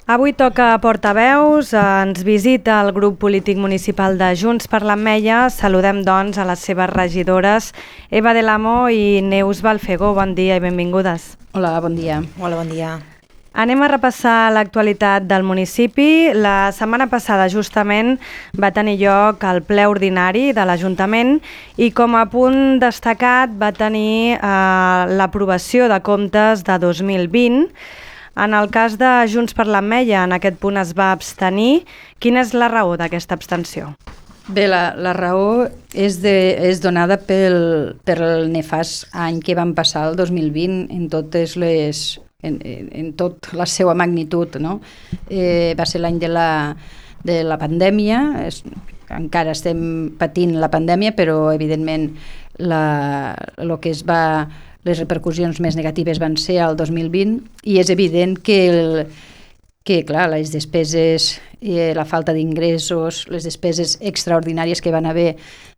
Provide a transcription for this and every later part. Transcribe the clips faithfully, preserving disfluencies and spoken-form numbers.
Avui toca Portaveus, ens visita el grup polític municipal de Junts per l'Ametlla. Saludem, doncs, a les seves regidores Eva del Amo i Neus Balfegó. Bon dia i benvingudes. Hola, bon dia. Hola, bon dia. Anem a repassar l'actualitat del municipi. La setmana passada, justament, va tenir lloc el ple ordinari de l'Ajuntament i com a punt destacat va tenir eh, l'aprovació de comptes de dos mil vint. En el cas de Junts per l'Ametlla, en aquest punt es va abstenir. Quina és la raó d'aquesta abstenció? Bé, la, la raó és, de, és donada pel, pel nefast any que vam passar el dos mil vint en totes les... En, en, en tot la seva magnitud, no? Eh, va ser l'any de la, de la pandèmia, es, encara estem patint la pandèmia, però evidentment la, lo que es va, les repercussions més negatives van ser el dos mil vint i és evident que, el, que clar, les despeses, eh, la falta d'ingressos, les despeses extraordinàries que van haver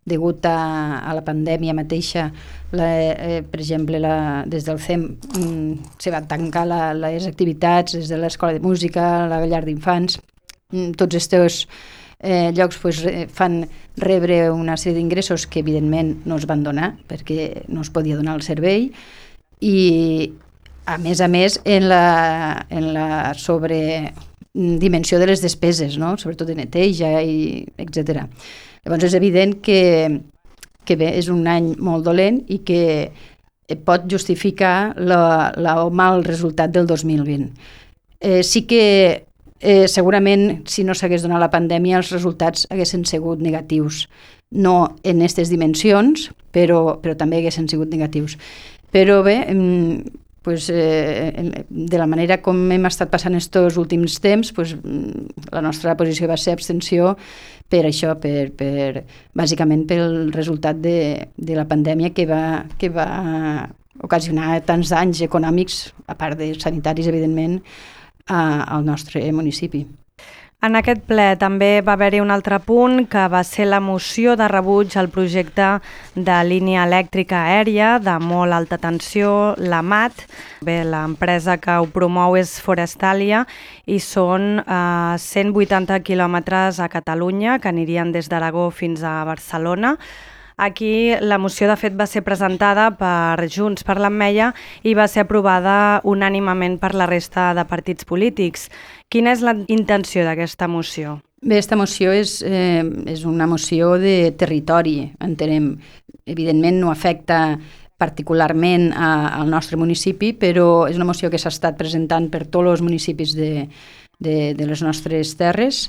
degut a, a la pandèmia mateixa, la, eh, per exemple, la, des del C E M mm, se van tancar la, les activitats, des de l'escola de música, la llar d'infants, mm, tots aquests eh, llocs pues, fan rebre una sèrie d'ingressos que evidentment no es van donar perquè no es podia donar el servei i a més a més en la, en la sobredimensió de les despeses, no? Sobretot de neteja i etcètera. Llavors és evident que, que bé, és un any molt dolent i que pot justificar la, la, el mal resultat del dos mil vint. Eh, sí que eh, segurament si no s'hagués donat la pandèmia els resultats haguessin sigut negatius. No en aquestes dimensions, però, però també haguessin sigut negatius. Però bé, pues, eh, de la manera com hem estat passant aquests últims temps, pues, la nostra posició va ser abstenció per això, per, per, bàsicament pel resultat de, de la pandèmia que va, que va ocasionar tants danys econòmics, a part de sanitaris, evidentment, a, al nostre municipi. En aquest ple també va haver-hi un altre punt que va ser la moció de rebuig al projecte de línia elèctrica aèria de molt alta tensió, la M A T. Bé, l'empresa que ho promou és Forestalia i són eh, cent vuitanta quilòmetres a Catalunya que anirien des d'Aragó fins a Barcelona. Aquí la moció de fet va ser presentada per Junts per l'Ametlla i va ser aprovada unànimement per la resta de partits polítics. Quina és la intenció d'aquesta moció? Bé, aquesta moció és, eh, és una moció de territori, entenem. Evidentment no afecta particularment a, al nostre municipi, però és una moció que s'ha estat presentant per tots els municipis de, de, de les nostres terres.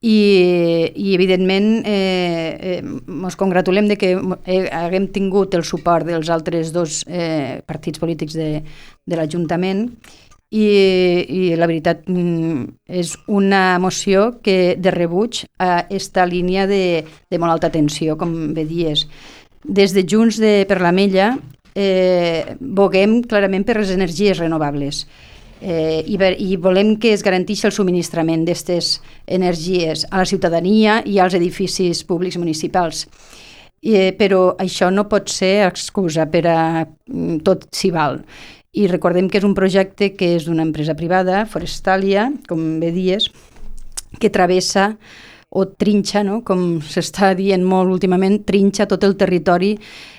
I, i evidentment eh, ens eh, congratulem de que eh, haguem tingut el suport dels altres dos eh, partits polítics de, de l'Ajuntament i, i la veritat és una moció que de rebuig a aquesta línia de, de molt alta tensió, com bé dies. Des de Junts de per l'Ametlla eh, boguem clarament per les energies renovables. Eh, i, i volem que es garanteixi el subministrament d'aquestes energies a la ciutadania i als edificis públics municipals. Eh, però això no pot ser excusa per a tot s'hi val. I recordem que és un projecte que és d'una empresa privada, Forestalia, com bé dies, que travessa o trinxa, no? Com s'està dient molt últimament, trinxa tot el territori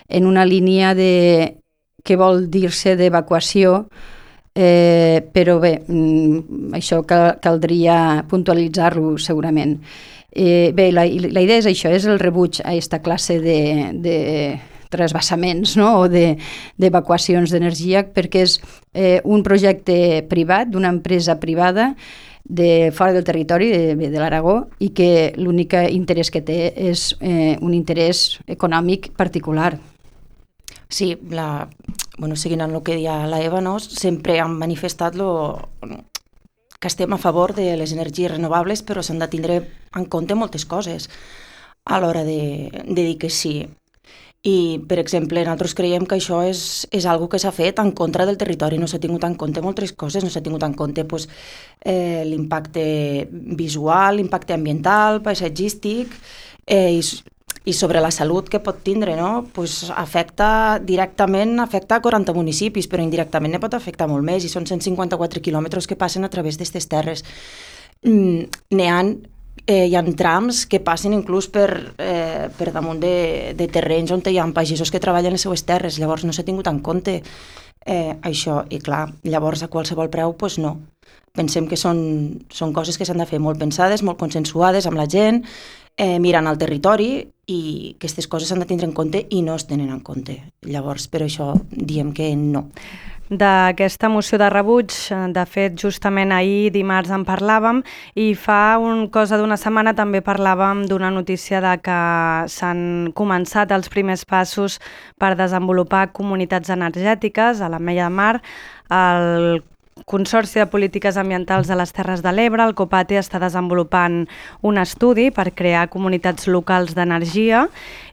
en una línia de, que vol dir-se d'evacuació. Eh, però bé, això cal, caldria puntualitzar-lo segurament. Eh, bé, la, la idea és això, és el rebuig a aquesta classe de, de trasbassaments, no? O de, d'evacuacions d'energia, perquè és eh, un projecte privat, d'una empresa privada de fora del territori de, de l'Aragó i que l'únic interès que té és eh, un interès econòmic particular. Sí, la, bueno, seguint en el que deia la Eva, no? Sempre han manifestat lo, que estem a favor de les energies renovables, però s'han de tindre en compte moltes coses a l'hora de, de dir que sí. I, per exemple, nosaltres creiem que això és, és algo que s'ha fet en contra del territori, no s'ha tingut en compte moltes coses, no s'ha tingut en compte pues, eh, l'impacte visual, l'impacte ambiental, paisatgístic, eh, i i sobre la salut que pot tindre, no? Pues afecta directament, afecta quaranta municipis, però indirectament ne pot afectar molt més, i són cent cinquanta-quatre quilòmetres que passen a través d'aquestes terres. Mm, n'hi ha, eh, hi ha trams que passen inclús per, eh, per damunt de, de terrenys on hi ha pagesos que treballen les seues terres, llavors no s'ha tingut en compte eh, això, i clar, llavors a qualsevol preu, pues no. Pensem que són, són coses que s'han de fer molt pensades, molt consensuades amb la gent, eh, mirant al territori, i aquestes coses s'han de tindre en compte i no es tenen en compte. Llavors, per això diem que no. D'aquesta moció de rebuig, de fet, justament ahir, dimarts, en parlàvem, i fa un cosa d'una setmana també parlàvem d'una notícia de que s'han començat els primers passos per desenvolupar comunitats energètiques a l'Ametlla de Mar. El Consorci de Polítiques Ambientals de les Terres de l'Ebre, el COPATE, està desenvolupant un estudi per crear comunitats locals d'energia,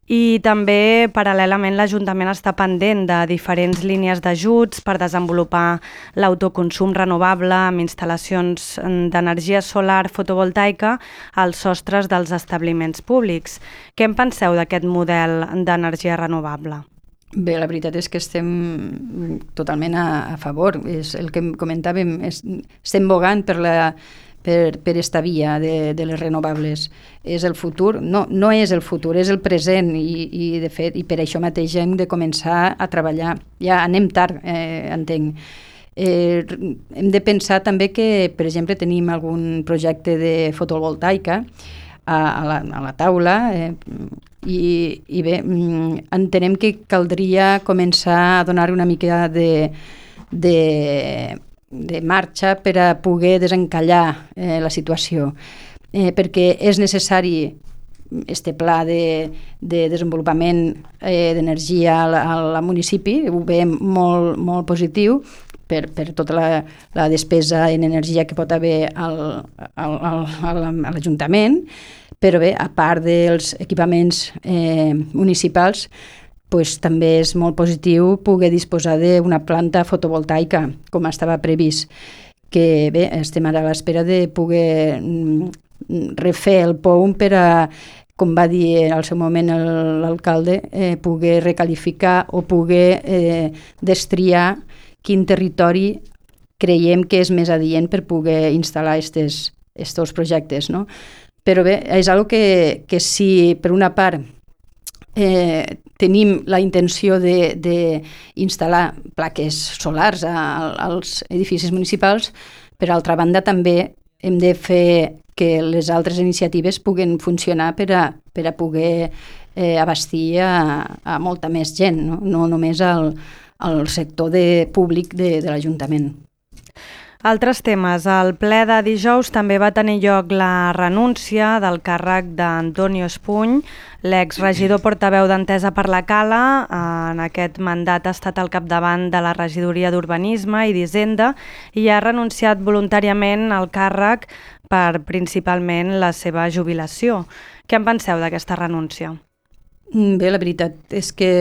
i també, paral·lelament, l'Ajuntament està pendent de diferents línies d'ajuts per desenvolupar l'autoconsum renovable amb instal·lacions d'energia solar fotovoltaica als sostres dels establiments públics. Què en penseu d'aquest model d'energia renovable? Bé, la veritat és que estem totalment a, a favor. És el que comentàvem, és, estem bogant per, la, per, per esta via de, de les renovables. És el futur? No, no és el futur, és el present, i, i de fet, i per això mateix hem de començar a treballar. Ja anem tard, eh, entenc. Eh, hem de pensar també que, per exemple, tenim algun projecte de fotovoltaica a, a, la, a la taula, eh, I, i bé, entenem que caldria començar a donar una mica de, de, de marxa per a poder desencallar eh, la situació, eh, perquè és necessari este pla de, de desenvolupament eh, d'energia al, al municipi, ho veiem molt, molt positiu, per, per tota la, la despesa en energia que pot haver al, al, al, al, a l'Ajuntament, però bé, a part dels equipaments eh, municipals, pues, també és molt positiu poder disposar d'una planta fotovoltaica, com estava previst, que bé, estem ara a l'espera de poder mm, refer el P O U M per a, com va dir al seu moment l'alcalde, eh, poder recalificar o poder eh, destriar quin territori creiem que és més adient per poder instal·lar aquests projectes, no? Però bé, és una que, que si per una part eh, tenim la intenció d'instal·lar plaques solars a, als edificis municipals, per altra banda també hem de fer que les altres iniciatives puguen funcionar per a, per a poder eh, abastir a, a molta més gent, no, no només al, al sector de, públic de, de l'Ajuntament. Altres temes. Al ple de dijous també va tenir lloc la renúncia del càrrec d'Antonio Espuny, l'exregidor portaveu d'Entesa per la Cala. En aquest mandat ha estat al capdavant de la regidoria d'Urbanisme i d'Hisenda i ha renunciat voluntàriament al càrrec per principalment la seva jubilació. Què en penseu d'aquesta renúncia? Bé, la veritat és que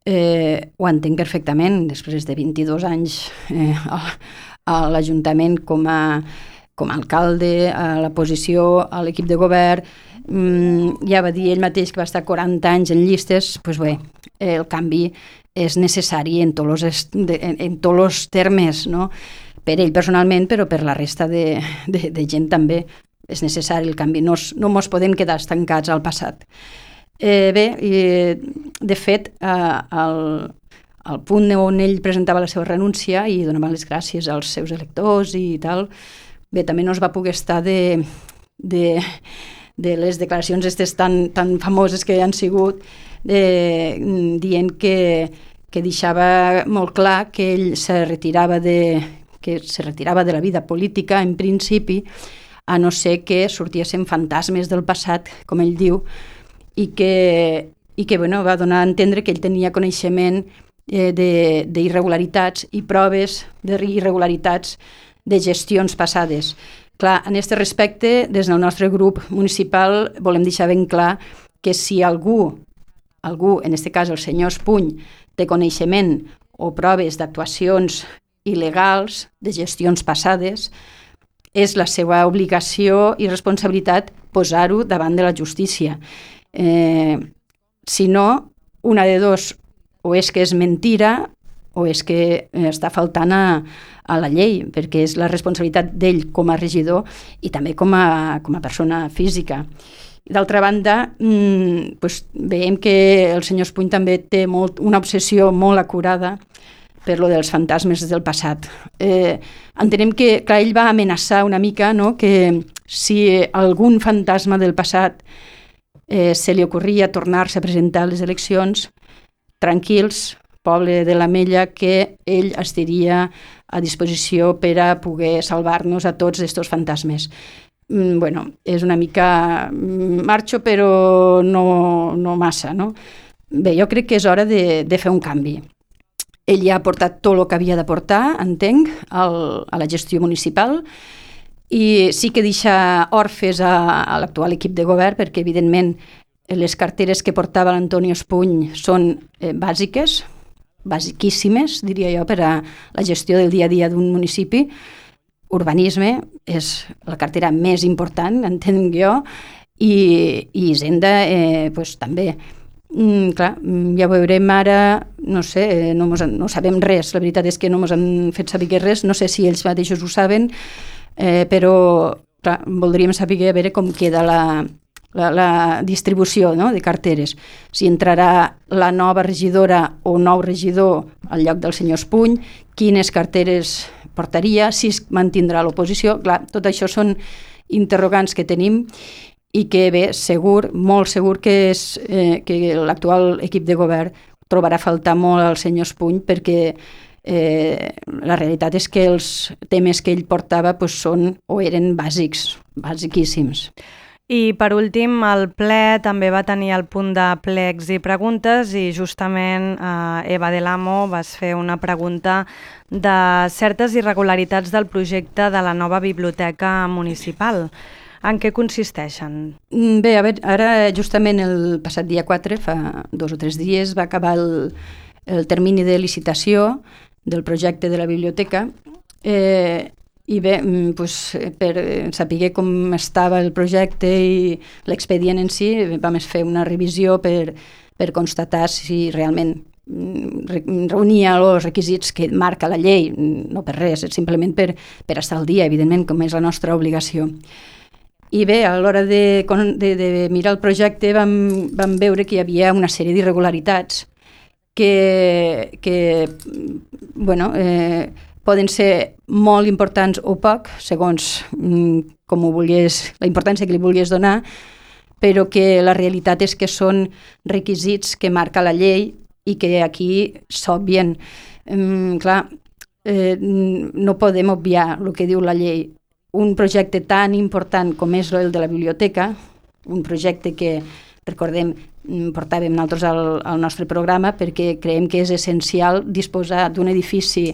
eh, ho entenc perfectament. Després de vint-i-dos anys eh, a l'Ajuntament com a, com a alcalde, a la posició, a l'equip de govern, mm, ja va dir ell mateix que va estar quaranta anys en llistes, doncs bé, el canvi és necessari en tots els, en, en tots els termes, no? Per ell personalment, però per la resta de, de, de gent també és necessari el canvi, no, no ens podem quedar estancats al passat. Eh, bé, i, de fet, eh, el al punt on ell presentava la seva renúncia i donava les gràcies als seus electors i tal, bé, també no es va poder estar de, de, de les declaracions aquestes tan, tan famoses que han sigut, de, dient que, que deixava molt clar que ell se retirava de, que se retirava de la vida política en principi, a no ser que sortiessin fantasmes del passat, com ell diu, i que, i que bueno, va donar a entendre que ell tenia coneixement d'irregularitats i proves d'irregularitats de gestions passades. Clar, en aquest respecte, des del nostre grup municipal volem deixar ben clar que si algú, algú, en aquest cas el senyor Espuny, té coneixement o proves d'actuacions il·legals, de gestions passades, és la seva obligació i responsabilitat posar-ho davant de la justícia. Eh, si no, una de dos, o és que és mentira o és que està faltant a, a la llei, perquè és la responsabilitat d'ell com a regidor i també com a, com a persona física. D'altra banda, mmm, doncs veiem que el senyor Espuny també té molt, una obsessió molt acurada per lo dels fantasmes del passat. Eh, entenem que, clar, ell va amenaçar una mica, no?, que si algun fantasma del passat eh, se li ocorria tornar-se a presentar a les eleccions, tranquils, poble de l'Ametlla, que ell estaria a disposició per a poder salvar-nos a tots estos fantasmes. Mm, bueno, és una mica marxo, però no, no massa, no? Bé, jo crec que és hora de, de fer un canvi. Ell ja ha portat tot el que havia de portar, entenc, al, a la gestió municipal, i sí que deixa orfes a, a l'actual equip de govern, perquè, evidentment, les carteres que portava l'Antonio Espuny són eh, bàsiques, basiquíssimes, diria jo, per a la gestió del dia a dia d'un municipi. Urbanisme és la cartera més important, entenc jo, i, i Hisenda eh, pues, també. Mm, clar, ja ho veurem ara, no sé, no, mos, no sabem res, la veritat és que no ens han fet saber res, no sé si ells mateixos ho saben, eh, però clar, voldríem saber a veure com queda la, la, la distribució, no?, de carteres. Si entrarà la nova regidora o nou regidor al lloc del senyor Espuny, quines carteres portaria, si es mantindrà l'oposició. Clar, tot això són interrogants que tenim i que, bé, segur, molt segur que, és, eh, que l'actual equip de govern trobarà a faltar molt al senyor Espuny, perquè eh, la realitat és que els temes que ell portava pues, són o eren bàsics, basiquíssims. I per últim, el ple també va tenir el punt de plecs i preguntes i justament eh, Eva de l'Amo vas fer una pregunta de certes irregularitats del projecte de la nova biblioteca municipal. En què consisteixen? Bé, a veure, ara justament el passat dia quatre, fa dos o tres dies, va acabar el, el termini de licitació del projecte de la biblioteca. Eh, I bé, doncs, per saber com estava el projecte i l'expedient en si, vam fer una revisió per, per constatar si realment reunia els requisits que marca la llei, no per res, simplement per, per estar al dia, evidentment, com és la nostra obligació. I bé, a l'hora de, de, de mirar el projecte vam, vam veure que hi havia una sèrie d'irregularitats que, que bueno, eh, poden ser molt importants o poc, segons com ho vulgués, la importància que li vulguis donar, però que la realitat és que són requisits que marca la llei i que aquí s'obvien. Um, clar, eh, no podem obviar el que diu la llei. Un projecte tan important com és el de la biblioteca, un projecte que, recordem, portàvem nosaltres al, al nostre programa perquè creiem que és essencial disposar d'un edifici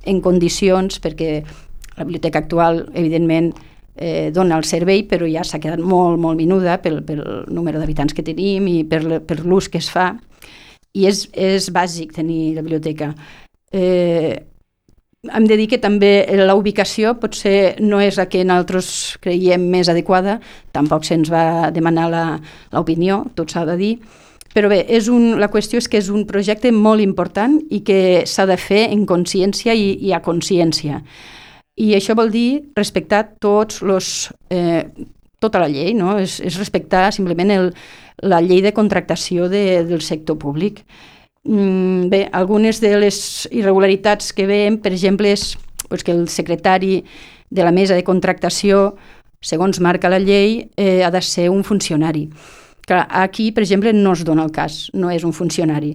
en condicions, perquè la biblioteca actual, evidentment, eh, dona el servei, però ja s'ha quedat molt, molt minuda pel, pel número d'habitants que tenim i per, per l'ús que es fa. I és, és bàsic tenir la biblioteca. Eh, hem de dir que també la ubicació potser no és la que nosaltres creiem més adequada, tampoc se'ns va demanar l'opinió, tot s'ha de dir, però bé, és un, la qüestió és que és un projecte molt important i que s'ha de fer en consciència i, i a consciència. I això vol dir respectar tots los, eh, tota la llei, no? És, és respectar simplement el, la llei de contractació de, del sector públic. Mm, bé, algunes de les irregularitats que veiem, per exemple, és pues, que el secretari de la mesa de contractació, segons marca la llei, eh, ha de ser un funcionari. Clar, aquí, per exemple, no es dona el cas, no és un funcionari.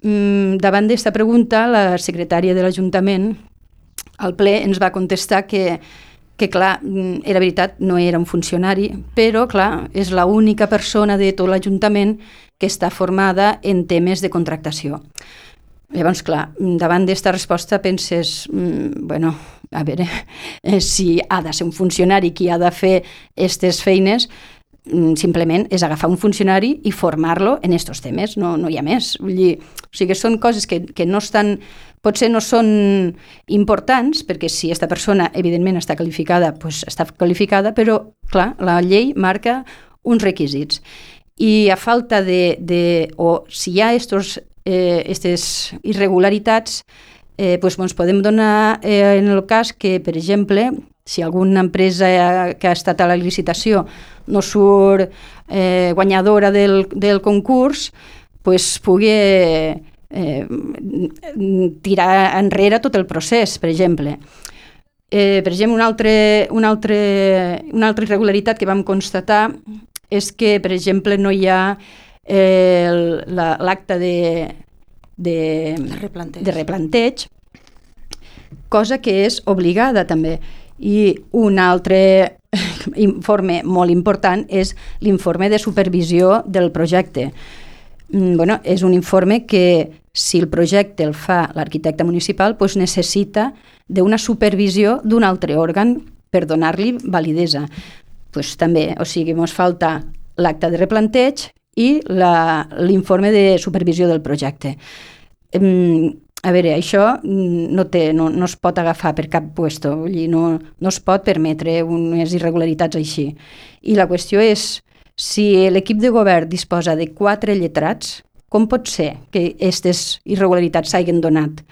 Mm, davant d'esta pregunta, la secretària de l'Ajuntament, al ple, ens va contestar que, que, clar, era veritat, no era un funcionari, però, clar, és l'única persona de tot l'Ajuntament que està formada en temes de contractació. Llavors, clar, davant d'esta resposta penses, mm, bueno, a veure, eh, si ha de ser un funcionari qui ha de fer aquestes feines, simplement és agafar un funcionari i formar-lo en aquests temes, no, no hi ha més. Vull dir, o sigui, són coses que, que no estan, potser no són importants, perquè si aquesta persona evidentment està qualificada, doncs està qualificada, però clar, la llei marca uns requisits. i a falta de, de o si hi ha estos, eh, estes irregularitats, eh, pues, doncs podem donar eh, en el cas que, per exemple, si alguna empresa que ha estat a la licitació no surt eh, guanyadora del, del concurs, pues, pugui eh, tirar enrere tot el procés, per exemple. Eh, per exemple, una altra, una, altra, una altra irregularitat que vam constatar és que, per exemple, no hi ha eh, l'acte de, de, de, replanteig. de replanteig, cosa que és obligada també. I un altre informe molt important és l'informe de supervisió del projecte. Bueno, és un informe que, si el projecte el fa l'arquitecte municipal, doncs necessita d'una supervisió d'un altre òrgan per donar-li validesa. Pues també, o sigui, ens falta l'acte de replanteig i l'informe de supervisió del projecte. A veure, això no, té, no, no es pot agafar per cap puesto, vull dir, no, no es pot permetre unes irregularitats així. I la qüestió és, si l'equip de govern disposa de quatre lletrats, com pot ser que aquestes irregularitats s'hagin donat?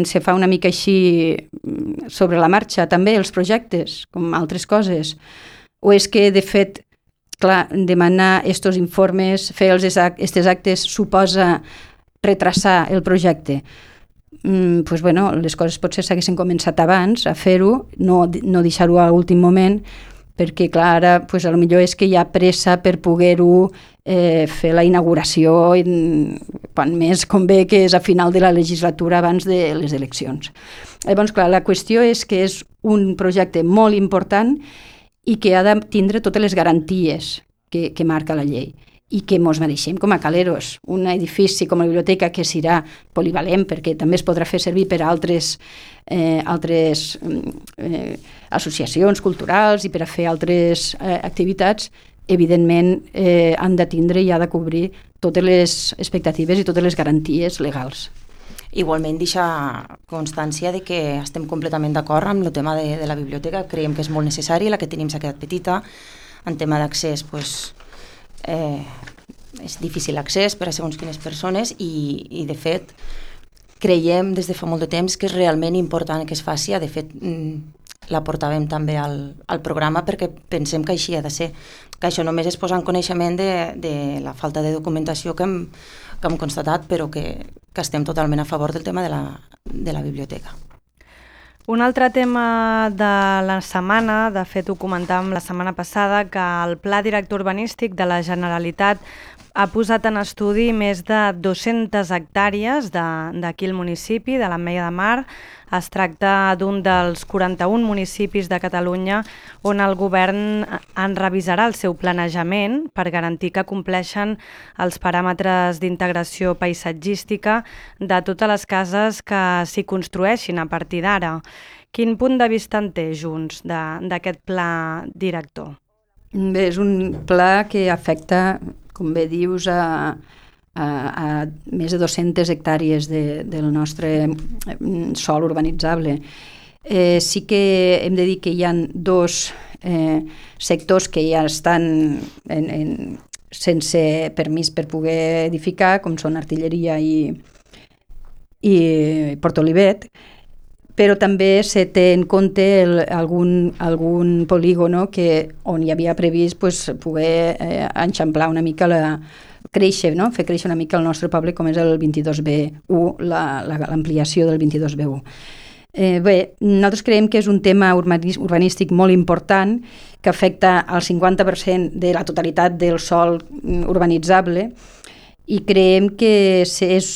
Se fa una mica així sobre la marxa, també, els projectes, com altres coses? O és que, de fet, clar, demanar aquests informes, fer aquests actes, suposa retrasar el projecte? Mm, pues bueno, les coses potser s'haguessin començat abans a fer-ho, no, no deixar-ho a l'últim moment, perquè clar, ara pues, a lo millor és que hi ha pressa per poder-ho eh, fer la inauguració quan més convé, que és a final de la legislatura abans de les eleccions. Llavors, clar, la qüestió és que és un projecte molt important i que ha de tindre totes les garanties que, que marca la llei i que ens mereixem com a Caleros. Un edifici com la biblioteca que serà polivalent, perquè també es podrà fer servir per a altres, eh, altres eh, associacions culturals i per a fer altres eh, activitats, evidentment eh, han de tindre i ha de cobrir totes les expectatives i totes les garanties legals. Igualment deixa constància de que estem completament d'acord amb el tema de, de la biblioteca, creiem que és molt necessari, la que tenim s'ha quedat petita, en tema d'accés, doncs, eh, és difícil l'accés per a segons quines persones i, i de fet creiem des de fa molt de temps que és realment important que es faci. De fet la portàvem també al, al programa perquè pensem que així ha de ser, que això només es posa en coneixement de, de la falta de documentació que hem, que hem constatat, però que, que estem totalment a favor del tema de la, de la biblioteca. Un altre tema de la setmana, de fet ho comentàvem la setmana passada, que el Pla Director Urbanístic de la Generalitat ha posat en estudi més de dues-centes hectàrees d'aquí al municipi, de l'Ametlla de Mar. Es tracta d'un dels quaranta-un municipis de Catalunya on el govern en revisarà el seu planejament per garantir que compleixen els paràmetres d'integració paisatgística de totes les cases que s'hi construeixin a partir d'ara. Quin punt de vista en té Junts d'aquest pla director? Bé, és un pla que afecta, com bé dius, a, a, a més de dues-centes hectàrees de, del nostre sòl urbanitzable. Eh, sí que hem de dir que hi ha dos eh, sectors que ja estan en, en, sense permís per poder edificar, com són Artilleria i, i Port Olivet, però també se té en compte el, algun, algun polígono que, on hi havia previst pues, poder eh, enxamplar una mica, la, créixer, no? fer créixer una mica el nostre poble, com és el vint-i-dos B u, l'ampliació la, la, del vint-i-dos B u. Eh, bé, nosaltres creiem que és un tema urbanístic molt important que afecta al cinquanta per cent de la totalitat del sòl urbanitzable i creiem que és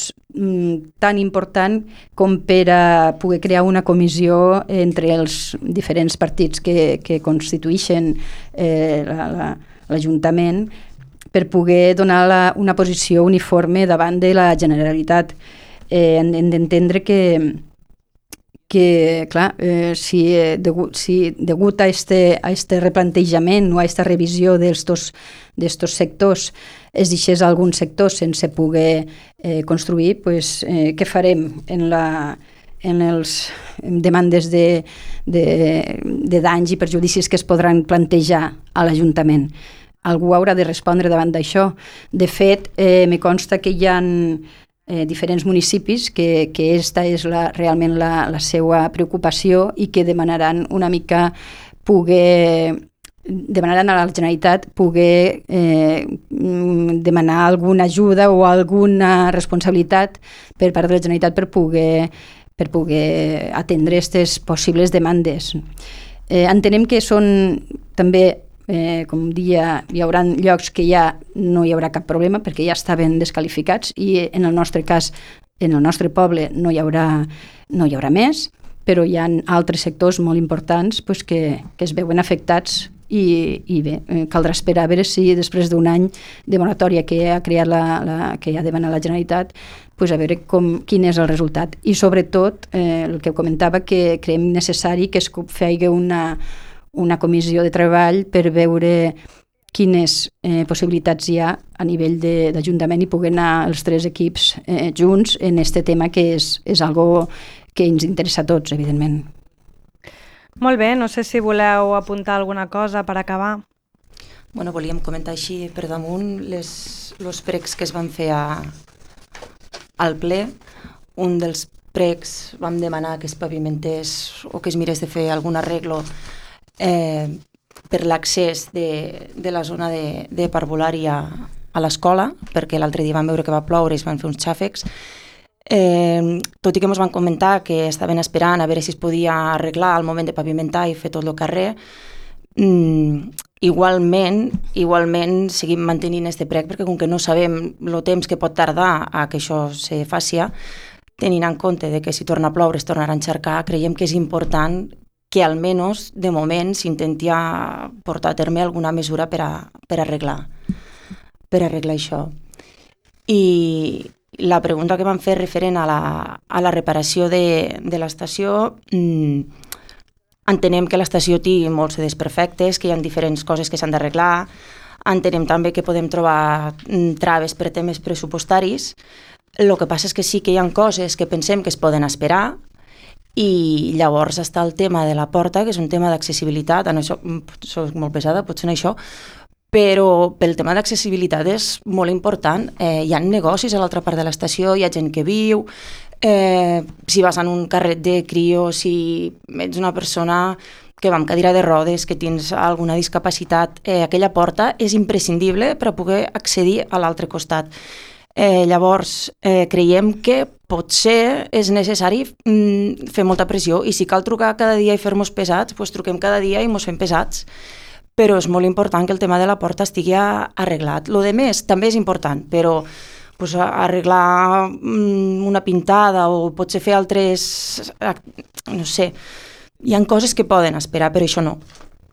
tan important com per a poder crear una comissió entre els diferents partits que, que constitueixen eh, l'Ajuntament per poder donar la, una posició uniforme davant de la Generalitat. Eh, hem d'entendre que, que clar, eh, si, degut, si degut a este, a este replantejament o a esta revisió d'estos d'estos sectors es deixés alguns sectors sense poder eh, construir, pues, eh, què farem en, la, en els demandes de, de, de danys i perjudicis que es podran plantejar a l'Ajuntament? algú haurà de respondre davant d'això. De fet, eh, me consta que hi ha eh, diferents municipis que, que esta és la, realment la, la seva preocupació i que demanaran una mica poder demanaran a la Generalitat poder eh, demanar alguna ajuda o alguna responsabilitat per part de la Generalitat per poder, per poder atendre aquestes possibles demandes. Eh, entenem que són també, eh, com dia, hi haurà llocs que ja no hi haurà cap problema perquè ja estaven desqualificats i en el nostre cas, en el nostre poble, no hi haurà, no hi haurà més, però hi ha altres sectors molt importants pues, que, que es veuen afectats i, i bé, caldrà esperar a veure si després d'un any de moratòria que ha creat la, la, que ha demanat la Generalitat, pues a veure com, quin és el resultat. I sobretot, eh, el que comentava, que creiem necessari que es faci una, una comissió de treball per veure quines eh, possibilitats hi ha a nivell d'Ajuntament i poder anar els tres equips eh, junts en aquest tema que és, és algo que ens interessa a tots, evidentment. Molt bé, no sé si voleu apuntar alguna cosa per acabar. Bueno, volíem comentar així per damunt les, els pregs que es van fer a, al ple. Un dels pregs vam demanar que es pavimentés o que es mirés de fer algun arreglo eh, per l'accés de, de la zona de, de parvulari a, a l'escola, perquè l'altre dia vam veure que va ploure i es van fer uns xàfecs. Eh, tot i que ens van comentar que estaven esperant a veure si es podia arreglar al moment de pavimentar i fer tot el carrer, mm, igualment, igualment seguim mantenint este prec perquè com que no sabem el temps que pot tardar a que això se faci, tenint en compte de que si torna a ploure es tornarà a encharcar, creiem que és important que almenys de moment s'intenti portar a terme alguna mesura per, a, per arreglar per arreglar això. I la pregunta que vam fer referent a la, a la reparació de, de l'estació, mmm, entenem que l'estació té molts desperfectes, que hi ha diferents coses que s'han d'arreglar, entenem també que podem trobar mm, traves per temes pressupostaris. El que passa és que sí que hi ha coses que pensem que es poden esperar i llavors està el tema de la porta, que és un tema d'accessibilitat. En això soc molt pesada, potser en això, però pel tema d'accessibilitat és molt important. Eh, hi ha negocis a l'altra part de l'estació, hi ha gent que viu, eh, si vas en un carret de crio, si ets una persona que va amb cadira de rodes, que tens alguna discapacitat, eh, aquella porta és imprescindible per a poder accedir a l'altre costat. Eh, llavors, eh, creiem que potser és necessari mm, fer molta pressió i si cal trucar cada dia i fer-nos pesats, doncs truquem cada dia i ens fem pesats. Però és molt important que el tema de la porta estigui arreglat. Lo de més també és important, però pues, arreglar una pintada o potser fer altres... no sé, hi ha coses que poden esperar, però això no.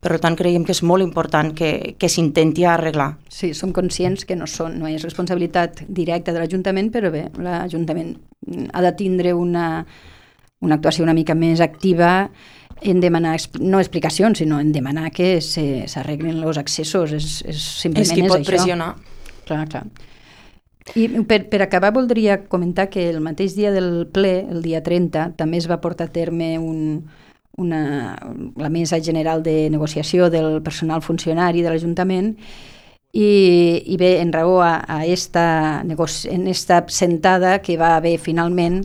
Per tant, creiem que és molt important que, que s'intenti arreglar. Sí, som conscients que no, són, no és responsabilitat directa de l'Ajuntament, però bé, l'Ajuntament ha de tindre una, una actuació una mica més activa en demanar, no explicacions, sinó en demanar que s'arreglen els accessos. És, és, simplement és qui és pot això. pressionar. Clar, clar. I per, per acabar voldria comentar que el mateix dia del ple, el dia trenta, també es va portar a terme un, una, la mesa general de negociació del personal funcionari de l'Ajuntament i, i bé, en raó a, a esta, en esta sentada que va haver finalment,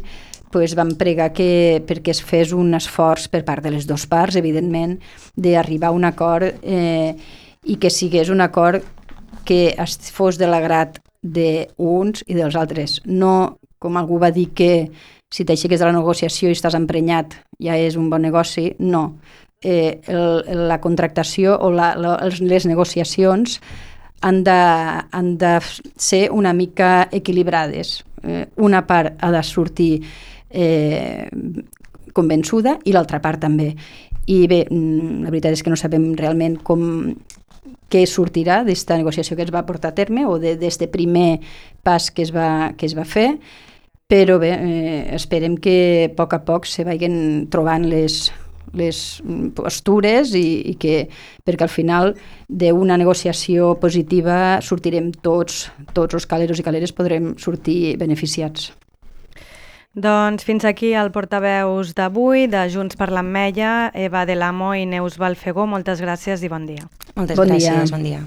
pues vam pregar que, perquè es fes un esforç per part de les dues parts, evidentment, d'arribar a un acord eh, i que sigués un acord que es fos de l'agrat d'uns i dels altres. No, com algú va dir, que si t'aixeques de la negociació i estàs emprenyat ja és un bon negoci, no. Eh, el, la contractació o la, la, les negociacions han de, han de ser una mica equilibrades. Eh, una part ha de sortir eh, convençuda i l'altra part també. I bé, la veritat és que no sabem realment com, què sortirà d'esta negociació que es va portar a terme o d'aquest primer pas que es va, que es va fer, però bé, eh, esperem que a poc a poc se vagin trobant les, les postures i, i que, perquè al final d'una negociació positiva sortirem tots, tots els caleros i caleres podrem sortir beneficiats. Doncs fins aquí el portaveus d'avui de Junts per l'Ametlla, Eva de l'Amo i Neus Balfegó. Moltes gràcies i bon dia. Moltes bon gràcies, dia. bon dia.